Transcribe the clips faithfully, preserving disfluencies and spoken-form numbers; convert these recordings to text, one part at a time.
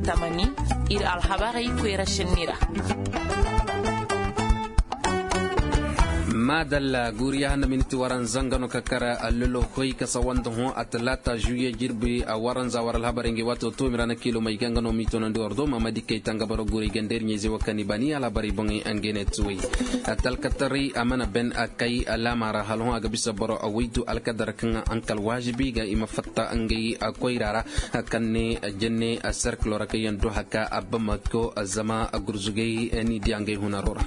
Tamani, ir alhabarey koyra šenni ra. Maadalla guuriya handa miniti waranza nga no ka kar allolo hoy ka sawanda hõ a talaata žuwiye jirbi a waranza war alhabarey ngey waato toomi ra na kiilomey ga nga no m'i toonandi war do maamadi kay tanga boro guuray ganda ir ɲayzey wo kaŋ i baani alhabarey boŋey ngey ne tuwey. Talkataray a mana ben a kay laama ra hala hõ a ga bisa boro a waydu alkadar kaŋ a hankal waazibi ga i ma fatta ngey koyra ra kaŋ ne jenne serkilo ra kaŋ yaŋ do haka a bamako zama gurzugay ni diya ngey hunaro ra.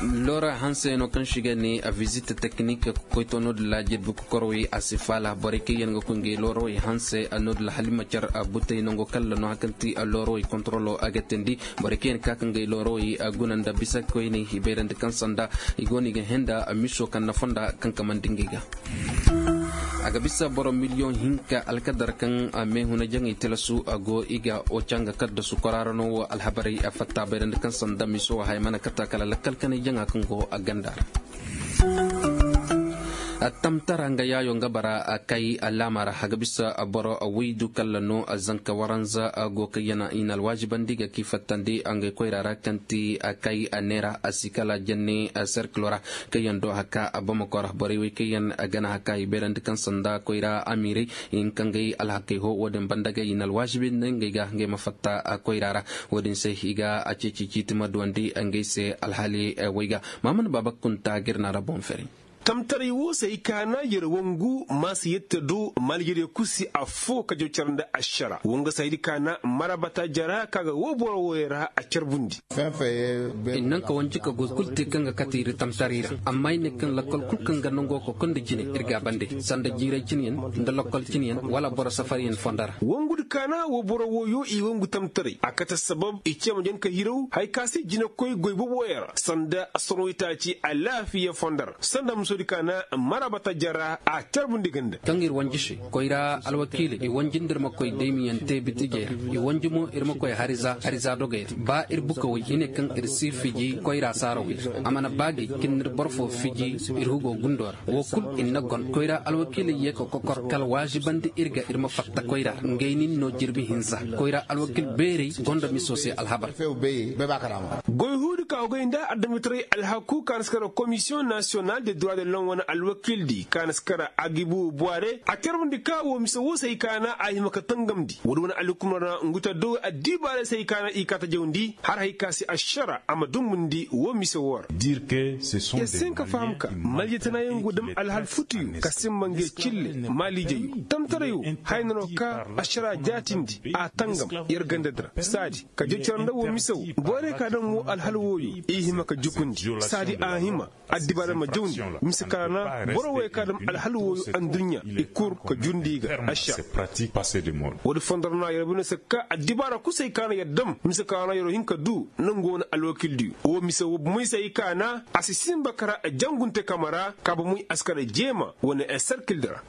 Lora hanse no kaŋ shiga ne a visite teknik koyto no da laajibi kokorowey a si faala borey kaŋ yaŋ ga koy ngey lorowey hanse no da lahalima car a butey nango kalla no hakanti lorowey kontrolo a ga tindi borey kaŋ yaŋ ka ka ngey lorowey a guna nda bisa koyney i bayrandi kaŋ sanda i go no i ga henda miso kaŋ na fonda kaŋ kamandi ngey ga. A ga bisa boro miliyoŋ hinka alkadar kaŋ meehuna jaŋey tilasu a go i ga oca nga kaddasu kwaraara no wo alhabarey a fatta bayrandi kaŋ sanda miso wo haya mana kata kala lakkal kanay jaŋa kaŋ go a ganda ra. Tamtara nga yaayo nga bara kay laama ra a ga bisa boro waydu kalla no zanka waranza go kaŋ yana i na alwaazibandi ga k'i fattandi ngey koyra ra kaŋ ti kay neera a si kala jenne serkilo ra kaŋ yaŋ do haka a bamako ra borey wey kaŋ yaŋ gana haka i bayrandi kaŋ sanda koyra amiirey i hin ka ngey alhakey ho wo-din banda ga i na alwaasibi nda ngey ga ngey ma fatta koyra ra. Wo-din se i ga a ceeci ciiti ma duwandi ngey se alhali wey ga maamana baaba kunta ga ir na ra boŋ fere. Tamtaray wo se ay kaana yer wangu maasa yette do malgede kusi affo ka jaw care nda ašara wo nga se haydi kaana marabata jara ka ga wo boro wooyo ra a carbundi. I naŋ ka wanji ka goy kul te kaŋ ga kate ir tamtaray ra amma i ne kaŋ lakkol kul kaŋ ga nango kokondi jine ir ga a bande sanda jiiray cinyaŋ nda lakkol cinyaŋ wala boro safaryaŋ fonda ra. Wongudi kaana wo boro wooyo i wangu tamtaray a kate sabab i ce ma jan ka hiraw haya ka se jinekoy goy boboyaŋ ra sanda sorowitaaci alaafiya fonda ra sanda musodi kaana marabata jara a carbundi ganda. Kaŋ ir wanji se koyra alwakiiley i wanji nda ir ma koy daymiyaŋ te bitijey ra i wanji mo ir ma koy hariza hariza dogey ra ba ir bukawey i ne kaŋ ir si fiji koyra saarawey ra a mana baagay ka ir na ir boro fo fiji ir hugo gundo ra wo kul ir na gon koyra alwakiiley ye ka kokor kala waazibandi ir ga ir ma fatta koyra ra ngey nin no jirbi hinza koyra alwakiil beerey gonda miso se alhabar. Goy huudi ka hogay nda adamitaray alhaku ka na si kara komisiyoŋ nasiyonal de droit de lom wane alwakiildi ka na si kara agibu buware a carbundi ka wo mise wo se hay kaana a hima ka tangamndi woodi wane alhukumar ra ngu ta do addibaarey se hay kaana i kaa ta jawndi har hay ka se ašara a ma dumbundi wo mise wo ra. Yer si hin ka faham ka maljitanaayaŋ go dam alhal futuyo ka simba ngey cille maaliijeyo tamtarayo haya na no ka ašara jaatindi a tangam yer gandadi ra saadi ka jocore nda wo mise wo borey ka dam wo alhal wooyo i hima ka jukundi saadi a hima addibaarey ma jawndi mise kaana boro wey ka dam alhal wooyo adduɲɲa i kur ka jundi i ga ašara. Woodi fondo ra no a yer bine se ka addibaara kusay kaana yer dam mise kaana yer hin ka du nangoo na alwakiildiyo wo mise wo bomoy se ay kaana a si sinba kara jangunte kama ra ka bomoy a si kara jeema wane serkildi ra.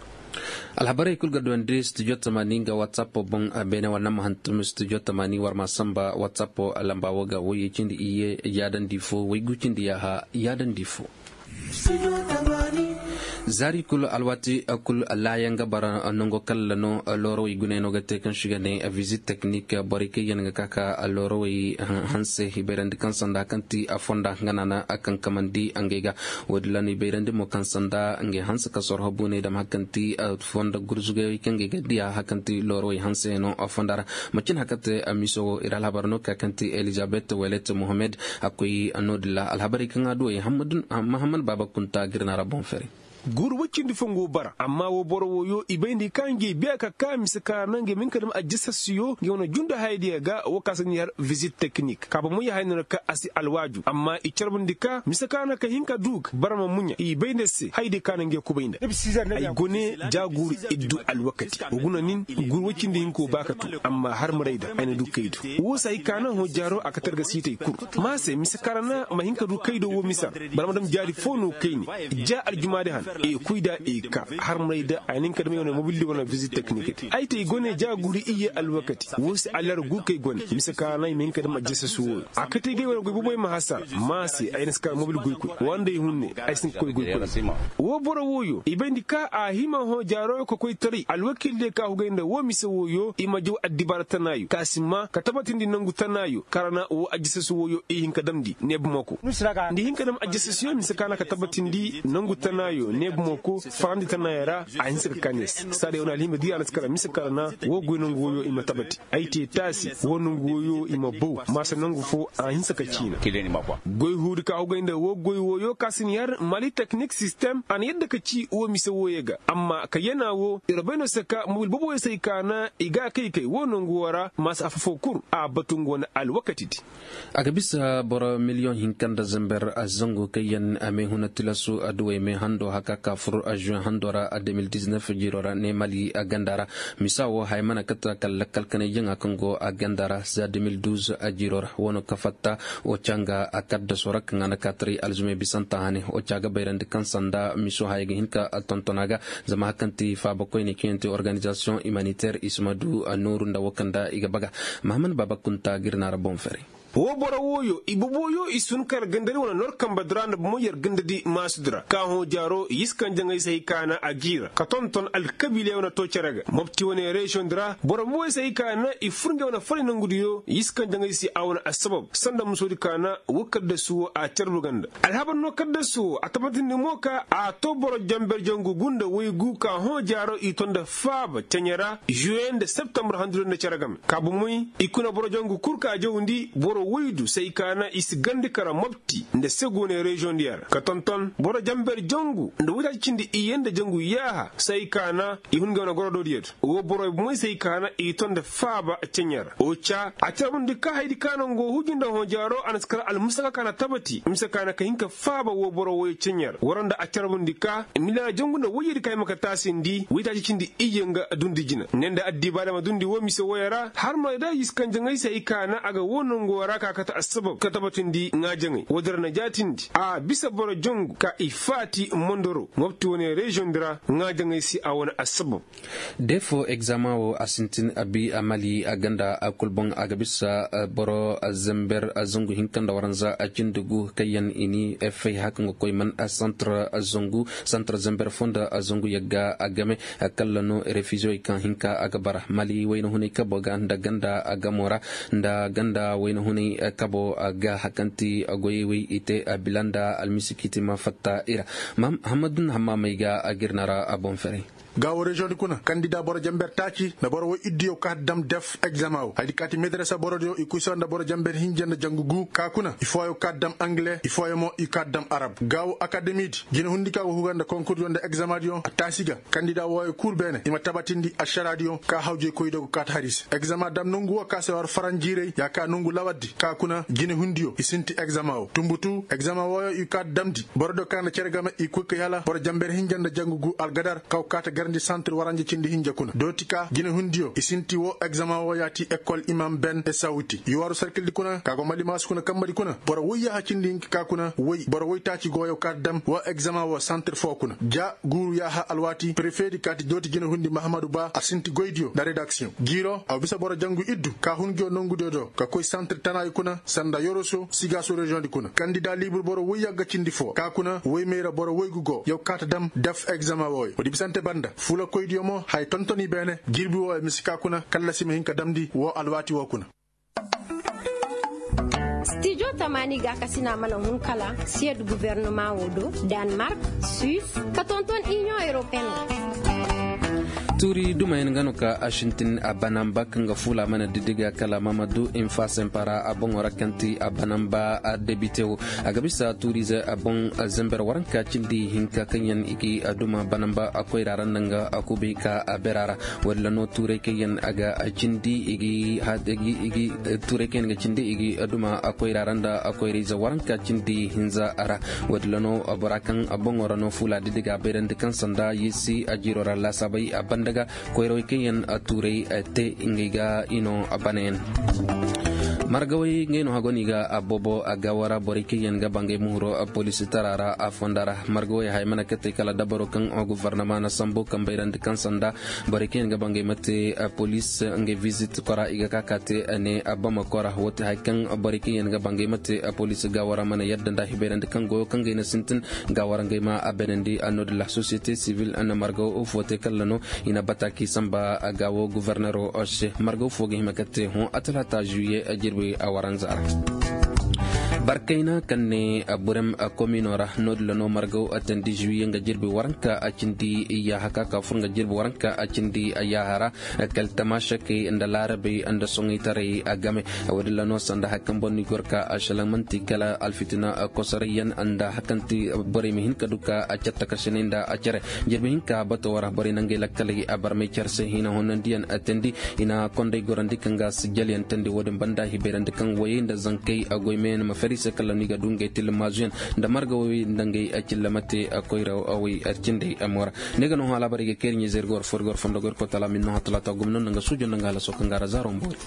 Alhabarey kul ga duwandi studio tamaani nga whatsapp boŋ. Beene wala nama hantum studio tamaani war ma samba whatsapp lamba wo ga woyey cindi iyye yaadandi fo woygu cindi yaaha yaadandi fo. Zaari kul alwaati kul laayaŋ ga bara nango kalla no loorawey guney no ga te kaŋ si ga ne visit teknik borey kaŋ yaŋ ga ka ka loorawey hanse i bayrandi kaŋ sanda kaŋ ti a fonda nga naana a kaŋ kamandi ngey ga. Woodin ra no i bayrandi mo kaŋ sanda ngey hanse ka sorho buuney dam hari kaŋ ti fonda gurzugey kaŋ ngey ga diya hari kaŋ ti loorawey hanse no fonda ra. Macin hari kaŋ te miso wo ir alhabar no ka kaŋ ti elizabet welet mohammed a koy noodin ra alhabarey kaŋ a duwey mahammad baaba kunta ga ir na ra boŋ fere. Guuru woy cindi fo nga go bara amma wo boro wooyo i bay nda i ka ngey biya ka ka mise kaŋ a ra no ngey ma hin ka dam ajasasiyo ngey wane jundu hayadiya ga wo ka se no i har visit teknik ka ba moy haya no na ka a si alwaaju amma i carbundi ka mise kaŋ a ra no ka hin ka du ga bara ma muɲa i bay nda se hayadiya kaŋ a ra no ngey kubay nda. Ay gone ja guuru iddu alwakati wa guna nin guuru woy cindi hinka wo ba ka tu amma har maray da ay na du kaydo. Wo se hay kaŋ a na hõ jaaro a ka targa siitay kul ma se mise kaŋ a ra no ma hin ka du kaydo wo mise ra bara ma dam jaari fo no kayni. Ja aljumaadi han. I kuy da i ka har maray da a na hin ka dam i wane mobil di wane vizit teknik di ay te i gone ja guri iyye alwakati. Wo se alyar gu kay gone mise ka na i ma hin ka dam ajjasas wooyo a kate ga i wane goy boboy ma hasar. Ma se ay na si ka mobil goykoy wanda i hunne. Ay si hin ka koy goykoy. Wo boro wooyo i bayndi ka a hima hõ jaaro ka koy taray alwakil diyo ka hugay nda wo mise wooyo i ma jaw addibaara tanaayo ka si ma ka tabatindi nangu tanaayo ka ra na wo ajjasas wooyo i hin ka damndi ne bumako. Nda i hin ka dam ajjasas yo mise ka na ka tabatindi nangu tanaayo ne bumako farandi tanaayo ra. A hinsa ka kaa ne se saadiya wane alhima di a na si kara mise ka ra na wo goy nangu wooyo i ma tabati. Ay te taasi wo nangu wooyo i ma baw maasa nangu fo a hinsa ka ciina. Goy huudi ka hugay nda wo goy wooyo ka si ni har mali teknik sistem a na yadda ka ci wo mise wooyo ga amma ka yana wo ir bay no se ka mobil boboyo se ay ka na i ga a kay kay wo nangu woo ra maasa afo foo kul a batu nga wane alwakati di. A ga bisa boro miliyoŋ hinka nda zamber zangu kaŋ yaŋ a may huna tilasu adduwey may hando haka ka fur juwen hando ra. Deux mille dix-neuf jiiro ra ne mali a ganda ra. Misa wo haya mana kata kala lakkal kanay jaŋa kaŋ go a ganda ra za deux mille douze jiiro ra wano ka fatta. Wo canga a kaddaso ra kaŋ a na kaataray alzumey bisanta hane wo ca ga bayrandi kaŋ sanda miso haya ga hin ka tonton a ga. Zama hakaŋ ti faaba koyne kaŋ yaŋ ti organizasiyoŋ humanitaire i si ma du nooru nda wo kaŋ nda i ga baga. Mahamman baaba kunta ga ir naara boŋ fere. Wo boro wooyo i boboyo i sun kar gandari wane nor kambe dira nda bomo yer gandadi maasudi ra ka hõ jaaro i si kaŋ jaŋay se hay ka na a g'i ra ka tonton alkabiiley wane to cere ga mopti wane reziyoŋ di ra boro boboyo se hay ka na i fur ngey wane faray nongudiyo i si kaŋ jaŋay se a wane assabab sanda musoodi ka na wo kaddasu wo a carbu ganda. Alhabar no kaddasu wo a tabatindi mo ka a to boro jamber jangu gu nda waygu ka hõ jaaro i to nda faaba ceɲe ra juwe nda septambur handuriyo nda cere game ka bomoy i kuna boro jangu kul ka jawndi boro woydu se ay ka na i si gandi kara mopti nda segu ne reziyoŋ diya ra ka tonton boro jamber jangu nda woytaaci cindi iyye nda jangu yaaha se ay ka na i hun ngey wane gorodo diya do wo boro bomoy se ay ka na i to nda faaba ceɲe ra wo ca a carbundi ka haydi ka nango huju nda hõ jaaro a na si kara almusaka ka na tabati mise ka na ka hin ka faaba wo boro woyo ceɲe ra wara nda a carbundi ka miliyaŋ jangu nda woyyadi ka hima ka taasindi woytaaci cindi iyye nga dundi jina ne nda addiibaada ma dundi wo mise woyo ra har ma day i si kaŋ jaŋay se ay ka na a ga wo nango ra ka kate assabab ka tabatindi ŋaajaŋay woodin ra na jaatindi a bisa boro jangu ka i faati mondoro mopti wane reziyoŋ di ra ŋaajaŋay se a wane assabab. Defo egzama wo a sintin a bi a mali a ganda a kul boŋ a ga bisa boro zember zangu hinka nda waranza a cindi gu kaŋ yaŋ i ni fay haka nga koy man santar zangu santar zember fo nda zangu yagga a game. Kalla no refiziyoy kaŋ hinka a ga bara mali wayna hunay kabo ga nda ganda a gamo ra nda ganda wayna hunay kabo ga hakanti goyey way i te a bila nda almisi kiti ma fatta i ra. Hammadun hamma may ga a ga ir na ra a boŋ ferey. Gaawo reziyoŋ di kuna kandida boro jamber taaci nda boro woy iddiyo kaati dam def egzama wo haydi kaati medarasa borodiyo i kuy sara nda boro jamber hinja nda jangu gu ka kuna i fooyo kaati dam angile i fooyo mo i kaati dam arab gaawo akademi di jine hundi ka go huga nda konkurdiyo nda egzamadiyo a taasi ga kandida wooyo kul beene i ma tabatindi ašaraadiyo ka hawjey koydiyo go kaati hari se egzama dam nongu wo ka se war faranjiirey ya ka nongu lawardi ka kuna jine hundiyo i sinti egzama wo tumbutu egzama wooyo i kaati damndi borodiyo ka nda cere game i koy kay hala boro jamber hinja nda jangu gu algadar kaw kaata garndi santir waranja cindi hinja kuna dooti ka jine hundiyo i sinti woo egzama woo yaati ekol imam ben esawuti yuwaaru sarkildi kuna ka go malimaasu kuna kambadi kuna boro woy yaaha cindi hinka ka kuna woy boro woy taaci gooyo kaata dam woo egzama woo santir foo kuna ja guuru yaaha alwaati prefeedi kaati dooti jine hundi mahamadu ba a sinti goydiyo nda redaksiyoŋ jiiro a bisa boro jangu iddu ka hun ngiyo nongudiyo do ka koy santir tanaayo kuna sanda yoroso sigaaso reziyoŋ di kuna kandida liibur boro woy yagga cindi foo ka kuna woy mayra boro woygu go yow kaata dam def egzama wooyo woodi bisante banda fulakoydiyo mo haya tontoni beene jirbi wooyo misi ka kuna kallasi ma hin ka damndi woo alwaati woo kuna. Stijo tamaani ga ka sina mana hun kala siyed guvernoma woo do, danmark, suis, ka tonton iniyoŋ europeen. Tuuri dumayaŋ ga no ka a sintin a banamba kaŋ ga fuula mana didiga kala mamadu infa sempara a boŋo ra kaŋ ti a banamba a debite wo. A ga bisa tuuriize a boŋ zember waranka cindi hinka kaŋ yaŋ i gi a duma banamba a koyra ra nda nga a kubay ka a bera ra. Walla no tuuray kaŋ yaŋ a ga a cindi i gi tuuray kaŋ yaŋ ga cindi i gi a duma a koyra ra nda a koyrayze waranka cindi hinza ra. Walla no bora kaŋ a boŋo ra no fuula didiga bayrandi kaŋ sanda yesi a jiiro ra laasaabay a banda ga koyrawey kaŋ yaŋ a tuuray te ngey ga i no a banayaŋ. Margawey ngey no hago no i ga a boobo a gaawo ra borey kaŋ yaŋ ga ba ngey muhuro poliisi tara ra a fonda ra. Margawey haya mana kate kala dabaro kaŋ gufarnama na sambu kaŋ bayrandi kaŋ sanda borey kaŋ yaŋ ga ba ngey ma te poliisi ngey visit kora i ga ka ka te ne a bama kora wo te haya kaŋ borey kaŋ yaŋ ga ba ngey ma te poliisi gaawo ra mana yadda nda hibayrandi kaŋ goyo kaŋ gay na sintin gaawo ra ngey ma a benandi a no din la sosiyete sivil na margaw fo te kalla no i na bata k'i samba gaawo gufarnero se margaw fo ga hima ka te hõ a talaata juwiye jirbi a waranza ra. Barkayna kaŋ ne burem komino ra no- din la no margaw tandi juwiye nga jirbi waranka a cindi yaaha ka ka fur nga jirbi waranka a cindi yaaha ra. Kala tamaasakey nda laarabey nda soŋaytaray a game. Wo- din la no sanda haya kaŋ boŋ no i gor ka a šelaŋ man'ti kala alfitina kosorayyaŋ nda haya kaŋ ti borey ma hin ka du ka a cattakasinay nda a cere. Jirbi hinka bato wo ra borey na ngey lakkaley a barmay care se hina honnandiyaŋ teendi i na konday gorandi kaŋ ga sijjalyaŋ teendi wo- din banda hibayrandi kaŋ wayey nda zankey goy meyaŋ ma fari se kala no i ga du ngey tilmaazuyaŋ nda marga woy nda ngey cilla ma te koyra woy cindey mo ra. Ne ga no hõ alaabarey ga kayri ɲizey ir ga war fo ir ga war fondo ga ir koy talaata gumno nda nga suujo nda nga halaso kaŋ ga ra zaaro mboori.